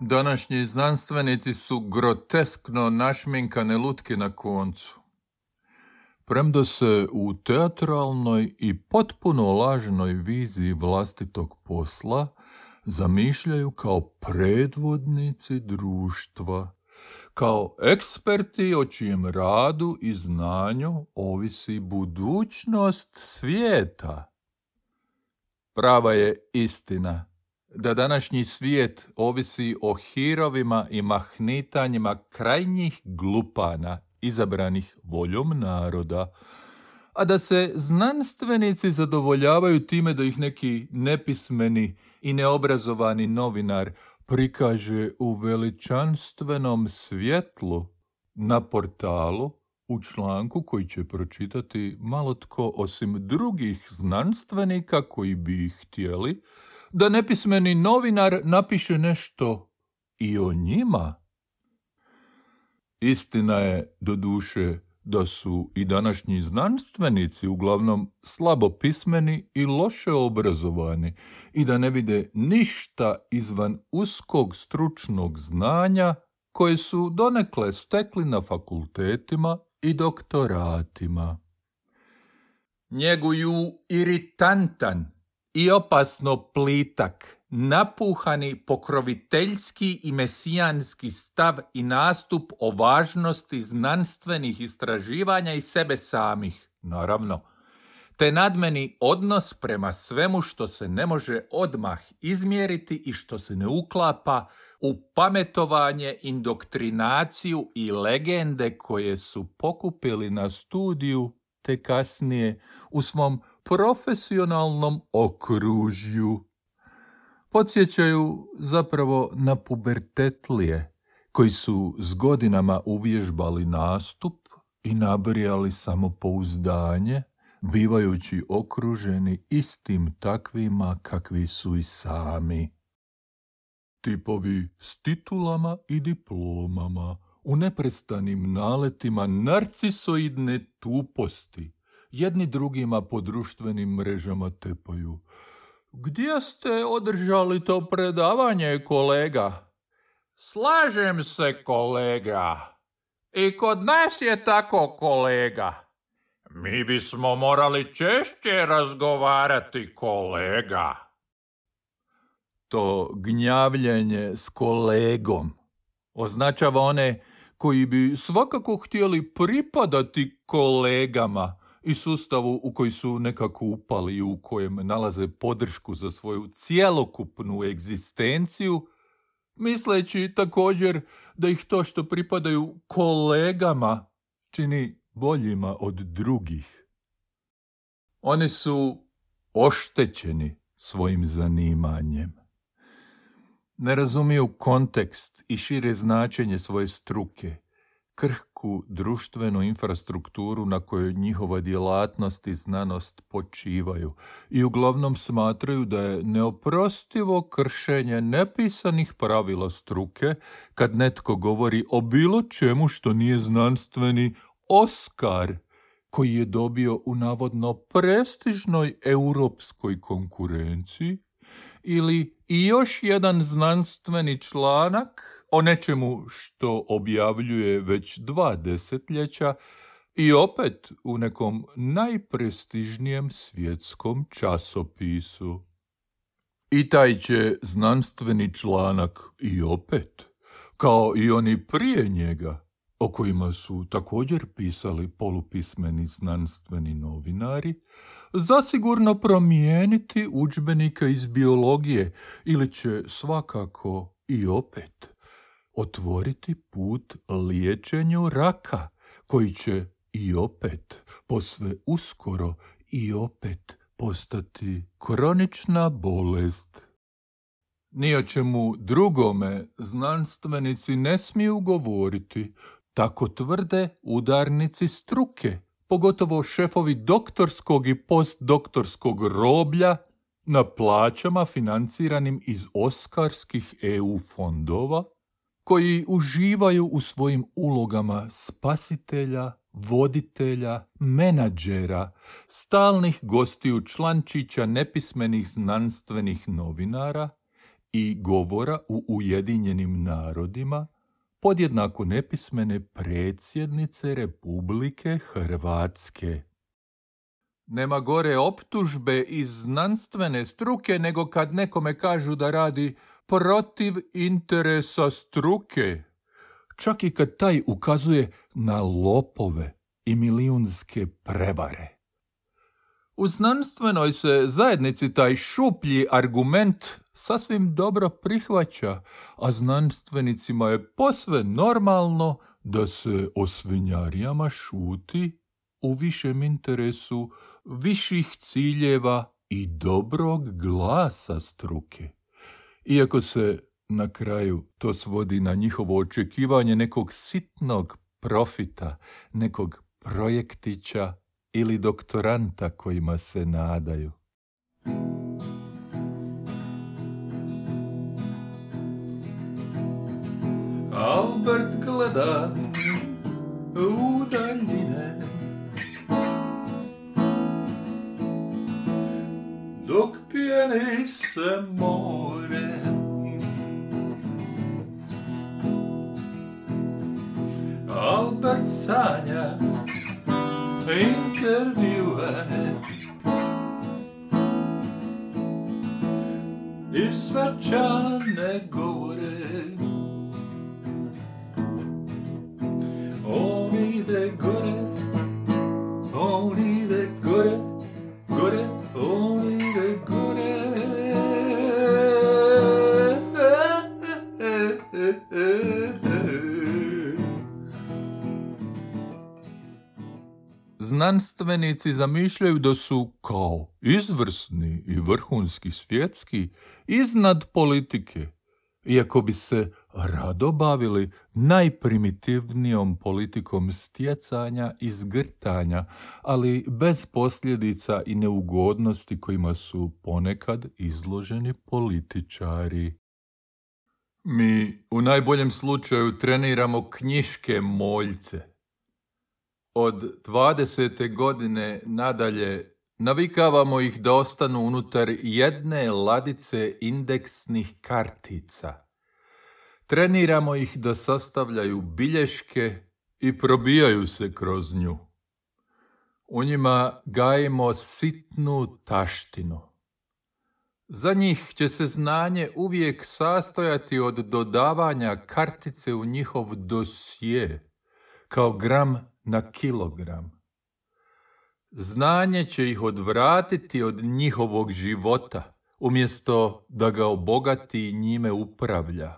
Današnji znanstvenici su groteskno našminkane lutke na koncu. Premda se u teatralnoj i potpuno lažnoj viziji vlastitog posla zamišljaju kao predvodnici društva, kao eksperti o čijem radu i znanju ovisi budućnost svijeta. Prava je istina da današnji svijet ovisi o hirovima i mahnitanjima krajnjih glupana izabranih voljom naroda, a da se znanstvenici zadovoljavaju time da ih neki nepismeni i neobrazovani novinar prikaže u veličanstvenom svjetlu na portalu u članku koji će pročitati malo tko osim drugih znanstvenika koji bi ih htjeli, da nepismeni novinar napiše nešto i o njima. Istina je, doduše, da su i današnji znanstvenici uglavnom slabo pismeni i loše obrazovani i da ne vide ništa izvan uskog stručnog znanja koje su donekle stekli na fakultetima i doktoratima. Njeguju iritantan i opasno plitak, napuhani pokroviteljski i mesijanski stav i nastup o važnosti znanstvenih istraživanja i sebe samih, naravno, te nadmeni odnos prema svemu što se ne može odmah izmjeriti i što se ne uklapa u pametovanje, indoktrinaciju i legende koje su pokupili na studiju te kasnije u svom profesionalnom okružju. Podsjećaju zapravo na pubertetlije koji su s godinama uvježbali nastup i nabrijali samopouzdanje, bivajući okruženi istim takvima kakvi su i sami. Tipovi s titulama i diplomama, u neprestanim naletima narcisoidne tuposti, jedni drugima po društvenim mrežama tepaju. Gdje ste održali to predavanje, kolega? Slažem se, kolega. I kod nas je tako, kolega. Mi bismo morali češće razgovarati, kolega. To gnjavljenje s kolegom označava one koji bi svakako htjeli pripadati kolegama i sustavu u koji su nekako upali i u kojem nalaze podršku za svoju cjelokupnu egzistenciju, misleći također da ih to što pripadaju kolegama čini boljima od drugih. Oni su oštećeni svojim zanimanjem. Ne razumiju kontekst i šire značenje svoje struke, krhku društvenu infrastrukturu na kojoj njihova djelatnost i znanost počivaju i uglavnom smatraju da je neoprostivo kršenje nepisanih pravila struke kad netko govori o bilo čemu što nije znanstveni Oskar koji je dobio u navodno prestižnoj europskoj konkurenciji ili i još jedan znanstveni članak o nečemu što objavljuje već 2 desetljeća i opet u nekom najprestižnijem svjetskom časopisu. I taj će znanstveni članak i opet, kao i oni prije njega, o kojima su također pisali polupismeni znanstveni novinari, zasigurno promijeniti udžbenike iz biologije ili će svakako i opet otvoriti put liječenju raka, koji će i opet posve uskoro i opet postati kronična bolest. Ni o čemu drugome znanstvenici ne smiju govoriti, tako tvrde udarnici struke, pogotovo šefovi doktorskog i postdoktorskog roblja na plaćama financiranim iz oskarskih EU fondova, koji uživaju u svojim ulogama spasitelja, voditelja, menadžera, stalnih gostiju člančića nepismenih znanstvenih novinara i govora u Ujedinjenim narodima podjednako nepismene predsjednice Republike Hrvatske. Nema gore optužbe iz znanstvene struke nego kad nekome kažu da radi protiv interesa struke. Čak i kad taj ukazuje na lopove i milijunske prevare. U znanstvenoj se zajednici taj šuplji argument sasvim dobro prihvaća, a znanstvenicima je posve normalno da se o svinjarijama šuti u višem interesu viših ciljeva i dobrog glasa struke. Iako se na kraju to svodi na njihovo očekivanje nekog sitnog profita, nekog projektića ili doktoranta kojima se nadaju. Albert gleda u daljine, dok pjeni se more. Albert sanja intervjue i svečane govore. On ide gore, on ide gore, gore, on ide gore. Znanstvenici zamišljaju da su kao izvrsni i vrhunski svjetski iznad politike, iako bi se rado bavili najprimitivnijom politikom stjecanja i zgrtanja, ali bez posljedica i neugodnosti kojima su ponekad izloženi političari. Mi u najboljem slučaju treniramo knjiške moljce. Od 20. godine nadalje navikavamo ih da ostanu unutar jedne ladice indeksnih kartica. Treniramo ih da sastavljaju bilješke i probijaju se kroz nju. U njima gajimo sitnu taštinu. Za njih će se znanje uvijek sastojati od dodavanja kartice u njihov dosje, kao gram na kilogram. Znanje će ih odvratiti od njihovog života, umjesto da ga obogati i njime upravlja.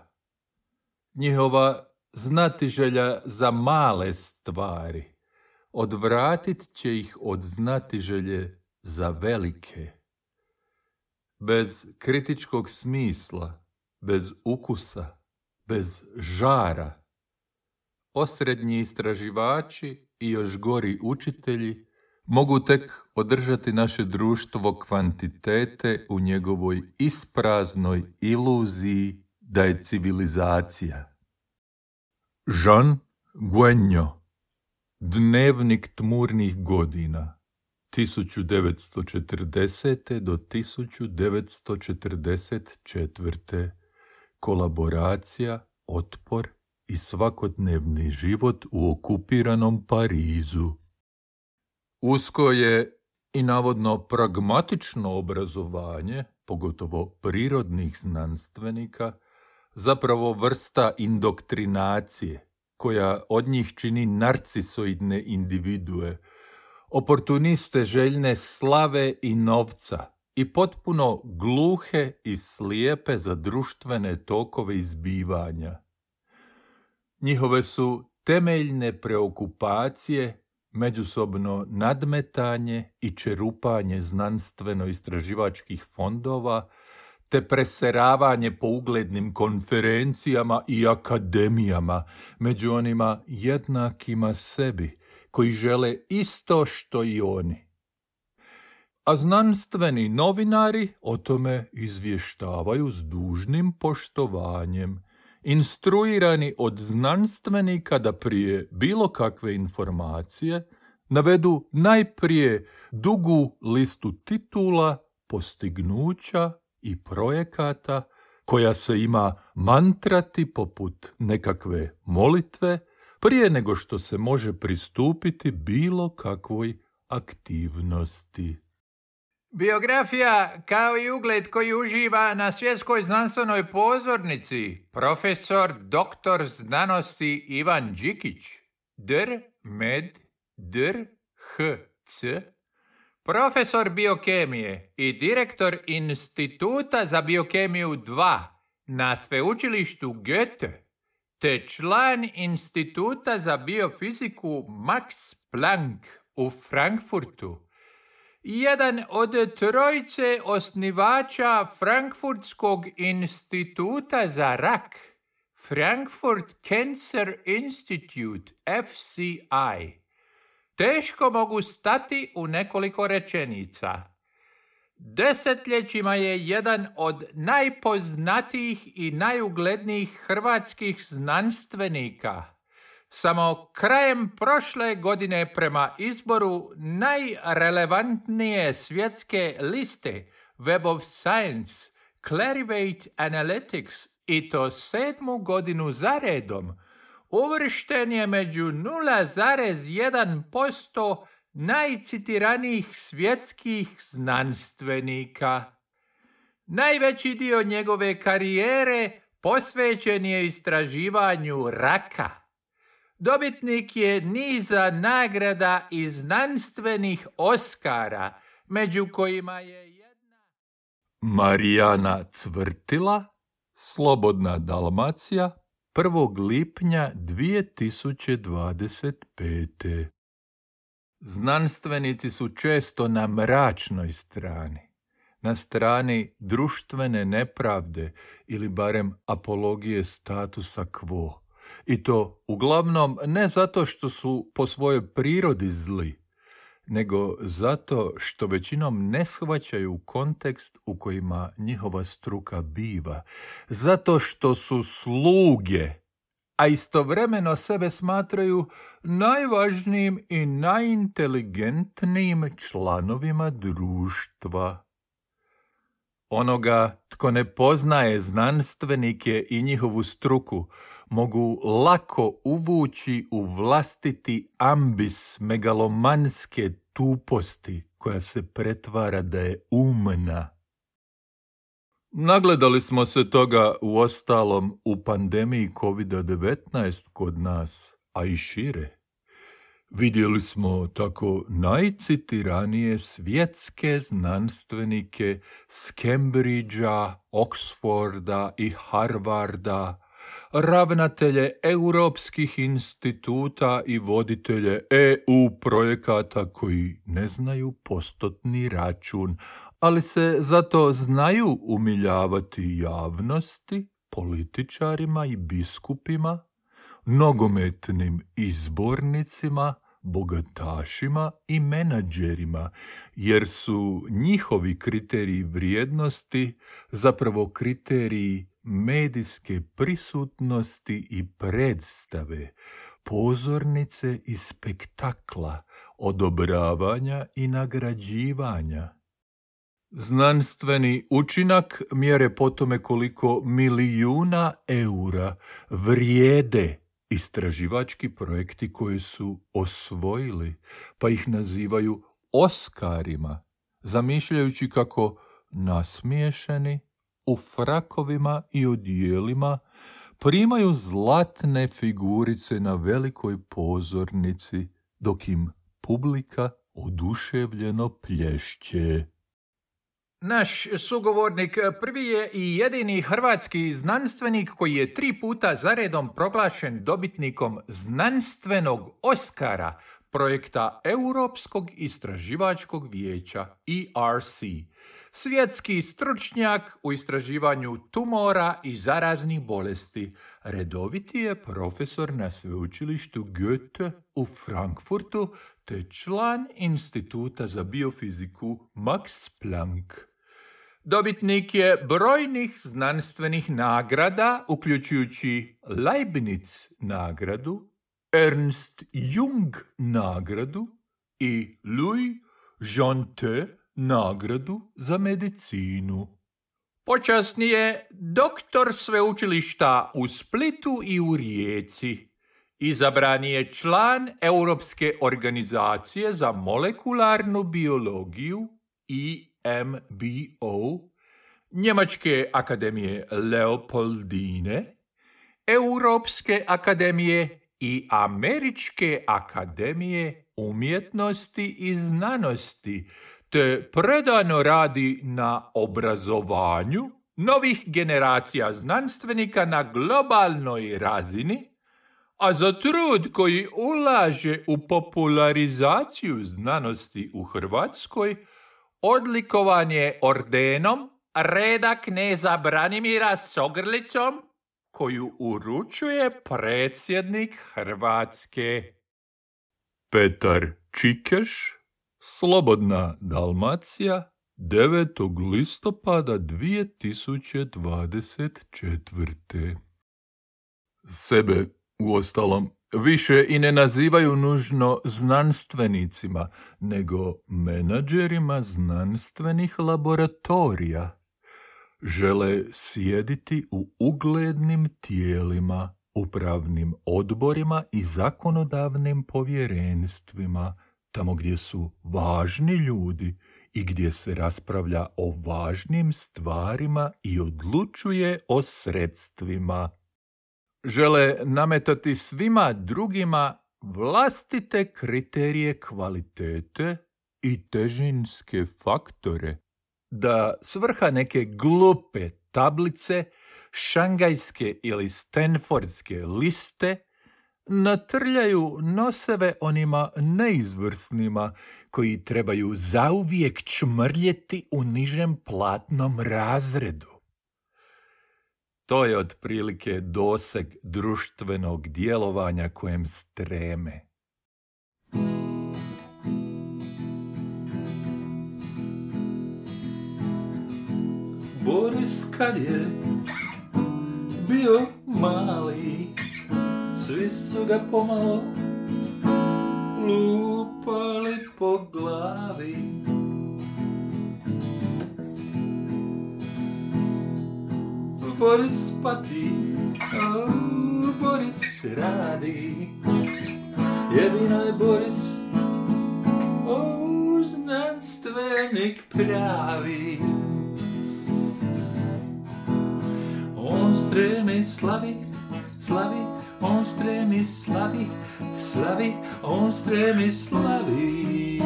Njihova znatiželja za male stvari odvratit će ih od znatiželje za velike. Bez kritičkog smisla, bez ukusa, bez žara, osrednji istraživači i još gori učitelji mogu tek održati naše društvo kvantitete u njegovoj ispraznoj iluziji da je civilizacija. Jean Guenjo, Dnevnik tmurnih godina, 1940. do 1944. Kolaboracija, otpor i svakodnevni život u okupiranom Parizu. Usko je i navodno pragmatično obrazovanje, pogotovo prirodnih znanstvenika, zapravo vrsta indoktrinacije, koja od njih čini narcisoidne individue, oportuniste željne slave i novca i potpuno gluhe i slijepe za društvene tokove izbivanja. Njihove su temeljne preokupacije međusobno nadmetanje i čerupanje znanstveno-istraživačkih fondova, te preseravanje po uglednim konferencijama i akademijama među onima jednakima sebi, koji žele isto što i oni. A znanstveni novinari o tome izvještavaju s dužnim poštovanjem, instruirani od znanstvenika da prije bilo kakve informacije navedu najprije dugu listu titula, postignuća i projekata koja se ima mantrati poput nekakve molitve prije nego što se može pristupiti bilo kakvoj aktivnosti. Biografija kao i ugled koji uživa na svjetskoj znanstvenoj pozornici profesor doktor znanosti Ivan Đikić, dr. med. dr. h.c., profesor biokemije i direktor Instituta za biokemiju 2 na sveučilištu Goethe, te član Instituta za biofiziku Max Planck u Frankfurtu, jedan od trojice osnivača Frankfurtskog instituta za rak, Frankfurt Cancer Institute, FCI. Teško mogu stati u nekoliko rečenica. Desetljećima je jedan od najpoznatijih i najuglednijih hrvatskih znanstvenika. Samo krajem prošle godine prema izboru najrelevantnije svjetske liste Web of Science, Clarivate Analytics, i to 7. godinu za redom, uvršten je među 0,1% najcitiranijih svjetskih znanstvenika. Najveći dio njegove karijere posvećen je istraživanju raka. Dobitnik je niza nagrada i znanstvenih Oskara, među kojima je jedna Marijana Cvrtila, Slobodna Dalmacija, 1. lipnja 2025. Znanstvenici su često na mračnoj strani, na strani društvene nepravde ili barem apologije statusa quo. I to uglavnom ne zato što su po svojoj prirodi zli, nego zato što većinom ne shvaćaju kontekst u kojima njihova struka biva, zato što su sluge, a istovremeno sebe smatraju najvažnijim i najinteligentnijim članovima društva. Onoga tko ne poznaje znanstvenike i njihovu struku mogu lako uvući u vlastiti ambis megalomanske tuposti koja se pretvara da je umna. Nagledali smo se toga uostalom u pandemiji COVID-19 kod nas, a i šire. Vidjeli smo tako najcitiranije svjetske znanstvenike s Cambridgea, Oxforda i Harvarda, ravnatelje europskih instituta i voditelje EU projekata koji ne znaju postotni račun, ali se zato znaju umiljavati javnosti, političarima i biskupima, nogometnim izbornicima, bogatašima i menadžerima, jer su njihovi kriteriji vrijednosti zapravo kriteriji medijske prisutnosti i predstave, pozornice i spektakla, odobravanja i nagrađivanja. Znanstveni učinak mjere po tome koliko milijuna eura vrijede istraživački projekti koji su osvojili, pa ih nazivaju Oskarima, zamišljajući kako nasmiješeni u frakovima i odijelima primaju zlatne figurice na velikoj pozornici, dok im publika oduševljeno plješće. Naš sugovornik prvi je i jedini hrvatski znanstvenik koji je 3 puta zaredom proglašen dobitnikom znanstvenog Oskara projekta Europskog istraživačkog vijeća ERC. Svjetski stručnjak u istraživanju tumora i zaraznih bolesti. Redoviti je profesor na sveučilištu Goethe u Frankfurtu te član Instituta za biofiziku Max Planck. Dobitnik je brojnih znanstvenih nagrada, uključujući Leibniz nagradu, Ernst Jung nagradu i Louis Jantet nagradu za medicinu. Počasni je doktor sveučilišta u Splitu i u Rijeci. Izabran je član Europske organizacije za molekularnu biologiju EMBO, Njemačke akademije Leopoldine, Europske akademije i Američke akademije umjetnosti i znanosti, te predano radi na obrazovanju novih generacija znanstvenika na globalnoj razini, a za trud koji ulaže u popularizaciju znanosti u Hrvatskoj odlikovan je ordenom reda kneza Branimira s ogrlicom, koju uručuje predsjednik Hrvatske. Petar Čikeš, Slobodna Dalmacija, 9. listopada 2024. Sebe, uostalom, više i ne nazivaju nužno znanstvenicima, nego menadžerima znanstvenih laboratorija. Žele sjediti u uglednim tijelima, upravnim odborima i zakonodavnim povjerenstvima, tamo gdje su važni ljudi i gdje se raspravlja o važnim stvarima i odlučuje o sredstvima. Žele nametati svima drugima vlastite kriterije kvalitete i težinske faktore, da svrha neke glupe tablice, šangajske ili stenfordske liste, natrljaju noseve onima neizvrsnima koji trebaju zauvijek čmrljeti u nižem platnom razredu. To je otprilike doseg društvenog djelovanja kojem streme. Boris kad je bio mali, svi su ga pomalo lupali po glavi. Boris pati, Boris radi, jedino je Boris znanstvenik pravi. On stremi slavi, on stremi slavi, on stremi slavi.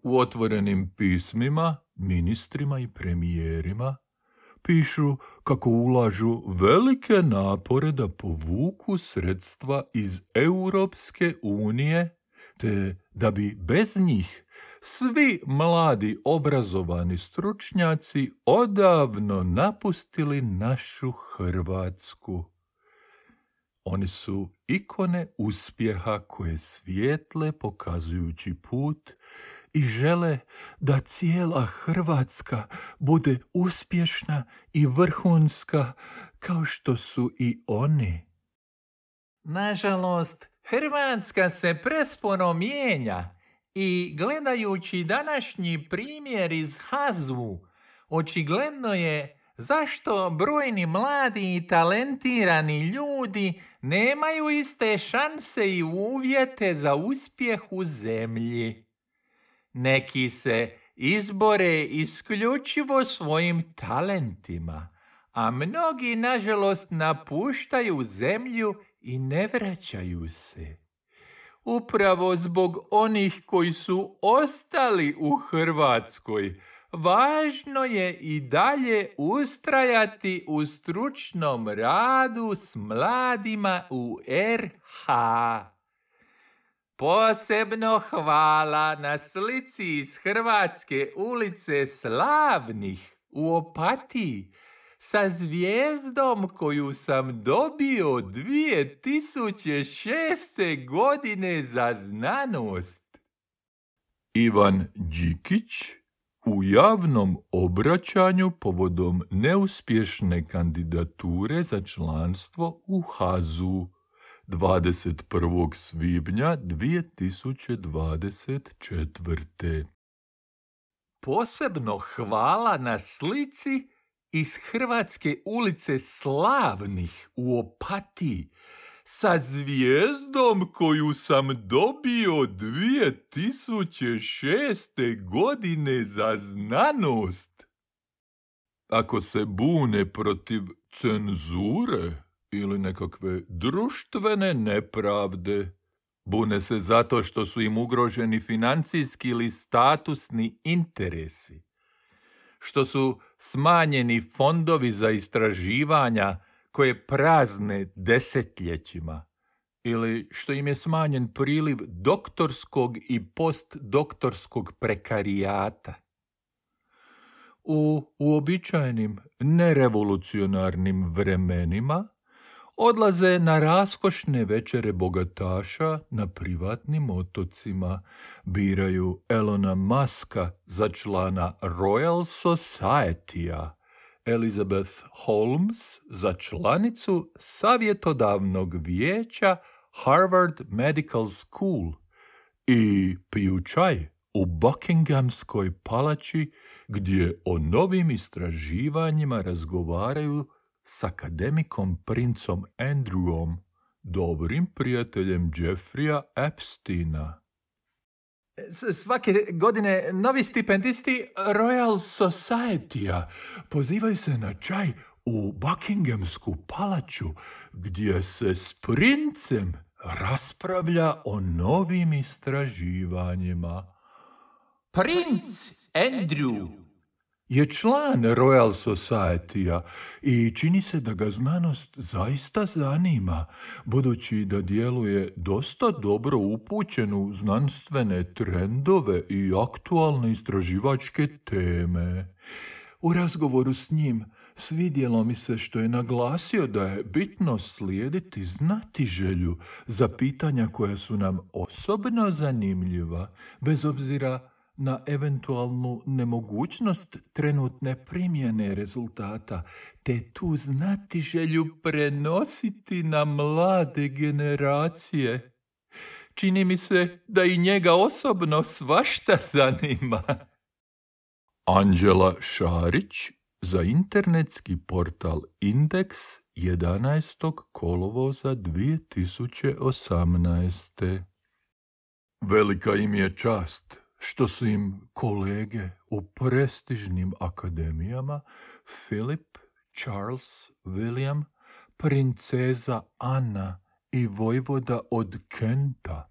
U otvorenim pismima, ministrima i premijerima pišu kako ulažu velike napore da povuku sredstva iz Europske unije, te da bi bez njih svi mladi obrazovani stručnjaci odavno napustili našu Hrvatsku. Oni su ikone uspjeha koje svijetle pokazujući put i žele da cijela Hrvatska bude uspješna i vrhunska kao što su i oni. Nažalost, Hrvatska se presporo mijenja i gledajući današnji primjer iz HAZU, očigledno je zašto brojni mladi i talentirani ljudi nemaju iste šanse i uvjete za uspjeh u zemlji. Neki se izbore isključivo svojim talentima, a mnogi, nažalost, napuštaju zemlju i ne vraćaju se. Upravo zbog onih koji su ostali u Hrvatskoj, važno je i dalje ustrajati u stručnom radu s mladima u RH. Posebno hvala na slici iz Hrvatske ulice Slavnih u Opatiji sa zvijezdom koju sam dobio 2006. godine za znanost. Ivan Đikić u javnom obraćanju povodom neuspješne kandidature za članstvo u HAZU 21. svibnja 2024. Posebno hvala na slici iz Hrvatske ulice Slavnih u Opatiji sa zvijezdom koju sam dobio 2006. godine za znanost. Ako se bune protiv cenzure ili nekakve društvene nepravde, bune se zato što su im ugroženi financijski ili statusni interesi, što su smanjeni fondovi za istraživanja koje prazne desetljećima, ili što im je smanjen priliv doktorskog i postdoktorskog prekarijata. U uobičajenim nerevolucionarnim vremenima odlaze na raskošne večere bogataša na privatnim otocima, biraju Elona Muska za člana Royal Society-a, Elizabeth Holmes za članicu savjetodavnog vijeća Harvard Medical School i piju čaj u Buckinghamskoj palači gdje o novim istraživanjima razgovaraju s akademikom princom Andrewom, dobrim prijateljem Jeffreya Epsteina. Svake godine novi stipendisti Royal Society-a pozivaju se na čaj u Buckinghamsku palaču gdje se s princem raspravlja o novim istraživanjima. Princ Andrew je član Royal Society-a i čini se da ga znanost zaista zanima, budući da djeluje dosta dobro upućen u znanstvene trendove i aktualne istraživačke teme. U razgovoru s njim svidjelo mi se što je naglasio da je bitno slijediti znatiželju za pitanja koja su nam osobno zanimljiva, bez obzira na eventualnu nemogućnost trenutne primjene rezultata, te tu znatiželju prenositi na mlade generacije. Čini mi se da i njega osobno svašta zanima. Anđela Šarić za internetski portal Indeks 11. kolovoza 2018. Velika im je čast što su im kolege u prestižnim akademijama Philip, Charles, William, princeza Anna i vojvoda od Kenta.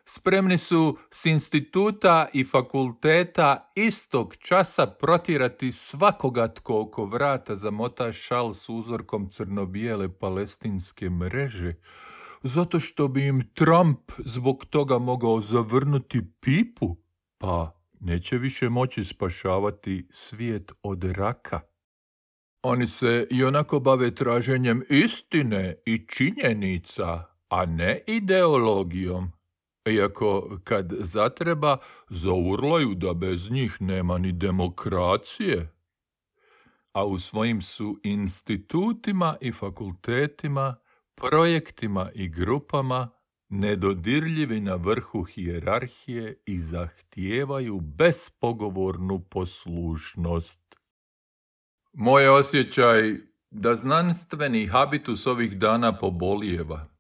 Spremni su s instituta i fakulteta istog časa protjerati svakoga tko oko vrata zamota šal s uzorkom crno-bijele palestinske mreže, zato što bi im Trump zbog toga mogao zavrnuti pipu, pa neće više moći spašavati svijet od raka. Oni se i onako bave traženjem istine i činjenica, a ne ideologijom. Iako kad zatreba, zaurlaju da bez njih nema ni demokracije. A u svojim su institutima i fakultetima, projektima i grupama nedodirljivi na vrhu hijerarhije i zahtijevaju bespogovornu poslušnost. Moj osjećaj da znanstveni habitus ovih dana pobolijeva.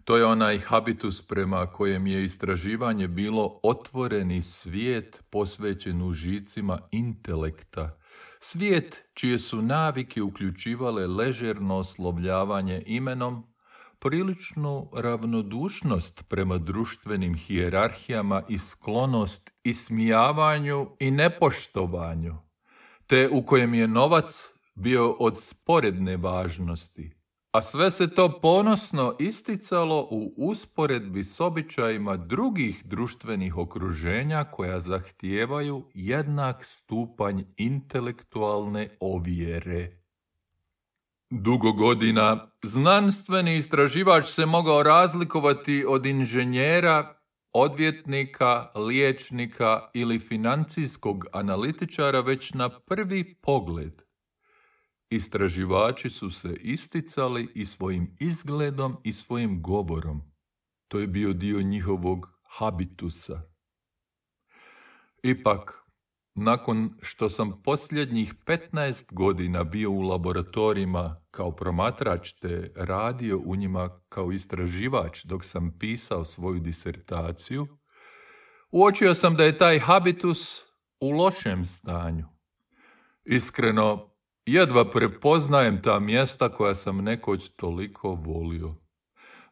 To je onaj habitus prema kojem je istraživanje bilo otvoreni svijet posvećen užicima intelekta, svijet čije su navike uključivale ležerno oslovljavanje imenom, priličnu ravnodušnost prema društvenim hijerarhijama i sklonost ismijavanju i nepoštovanju, te u kojem je novac bio od sporedne važnosti, a sve se to ponosno isticalo u usporedbi s običajima drugih društvenih okruženja koja zahtijevaju jednak stupanj intelektualne ovjere. Dugo godina znanstveni istraživač se mogao razlikovati od inženjera, odvjetnika, liječnika ili financijskog analitičara već na prvi pogled. Istraživači su se isticali i svojim izgledom i svojim govorom. To je bio dio njihovog habitusa. Ipak, nakon što sam posljednjih 15 godina bio u laboratorijima kao promatrač te radio u njima kao istraživač dok sam pisao svoju disertaciju, uočio sam da je taj habitus u lošem stanju. Iskreno, jedva prepoznajem ta mjesta koja sam nekoć toliko volio.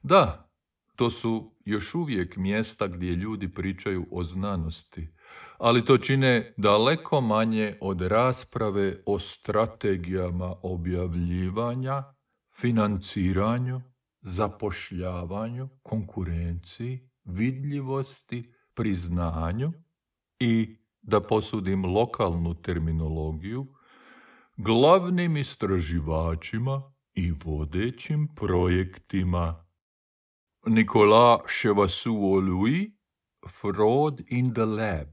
Da, to su još uvijek mjesta gdje ljudi pričaju o znanosti, ali to čine daleko manje od rasprave o strategijama objavljivanja, financiranju, zapošljavanju, konkurenciji, vidljivosti, priznanju i, da posudim lokalnu terminologiju, glavnim istraživačima i vodećim projektima. Nicolas Chevassus-Louis, Fraud in the Lab,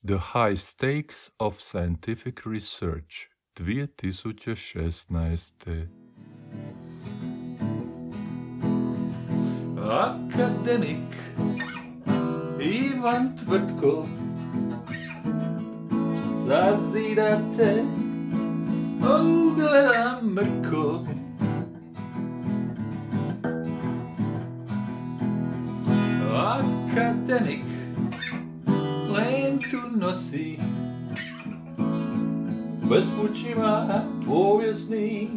The High Stakes of Scientific Research, 2016. Akademik Ivan Tvrtko zazidate, on gleda mrko. Akademik lentu nosi, bespućima povijesni,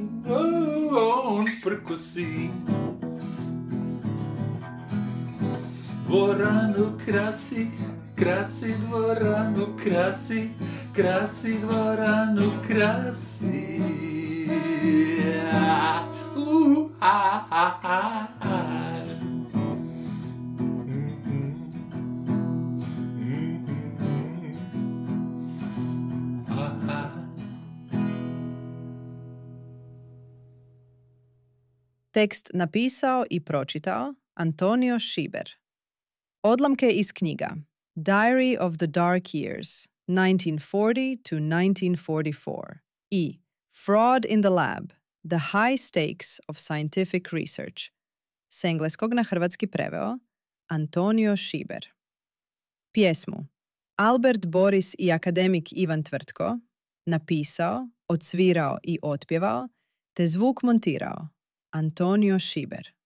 on prkosi. Dvoranu krasi, krasi dvoranu, krasi, krasi dvoranu, krasi. Tekst napisao i pročitao Antonio Šiber. Odlomke iz knjiga Diary of the Dark Years, 1940 to 1944 i Fraud in the Lab, The High Stakes of Scientific Research, s engleskog na hrvatski preveo Antonio Šiber. Pjesmu Albert Boris i akademik Ivan Tvrtko napisao, odsvirao i otpjevao, te zvuk montirao Antonio Šiber.